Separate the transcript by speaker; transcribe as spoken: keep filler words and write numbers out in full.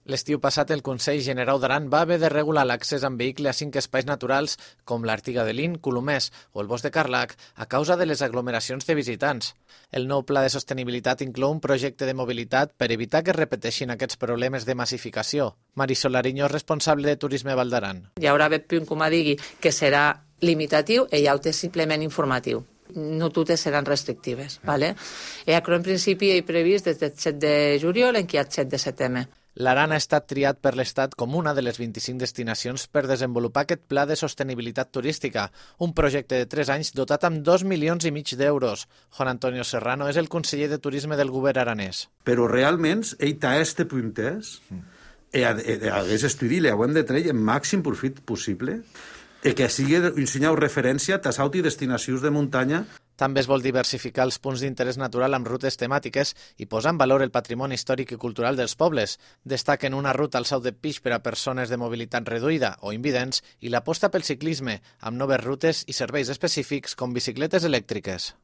Speaker 1: L'estiu passat, el Consell Generau d'Aran va haver de regular l'accés amb vehicle a cinc espais naturals com l'Artiga de Lin, Colomers o el Bosc de Carlac a causa de les aglomeracions de visitants. El nou pla de sostenibilitat inclou un projecte de mobilitat per evitar que es repeteixin aquests problemes de massificació. Marisol Ariño, responsable de Turisme Val d'Aran.
Speaker 2: Hi haurà haver punt, com a digui, que serà limitatiu i hi haurà simplement informatiu. No totes seran restrictives. ¿vale? I en principi hi ha previst des del set de juliol en què hi ha el set de setembre.
Speaker 1: L'Aran ha estat triat per l'Estat com una de les vint-i-cinc destinacions per desenvolupar aquest pla de sostenibilitat turística, un projecte de tres anys dotat amb dos milions i mig d'euros. Juan Antonio Serrano és el conseller de Turisme del govern aranès.
Speaker 3: Però realment, ell té este puntès, i aquest estudi li hem de treure el màxim profit possible, i que sigui un senyal referència a tassaut i destinacions de muntanya.
Speaker 1: També es vol diversificar els punts d'interès natural amb rutes temàtiques i posar en valor el patrimoni històric i cultural dels pobles. Destaquen una ruta al Sau de Pix per a persones de mobilitat reduïda o invidents i l'aposta pel ciclisme, amb noves rutes i serveis específics com bicicletes elèctriques.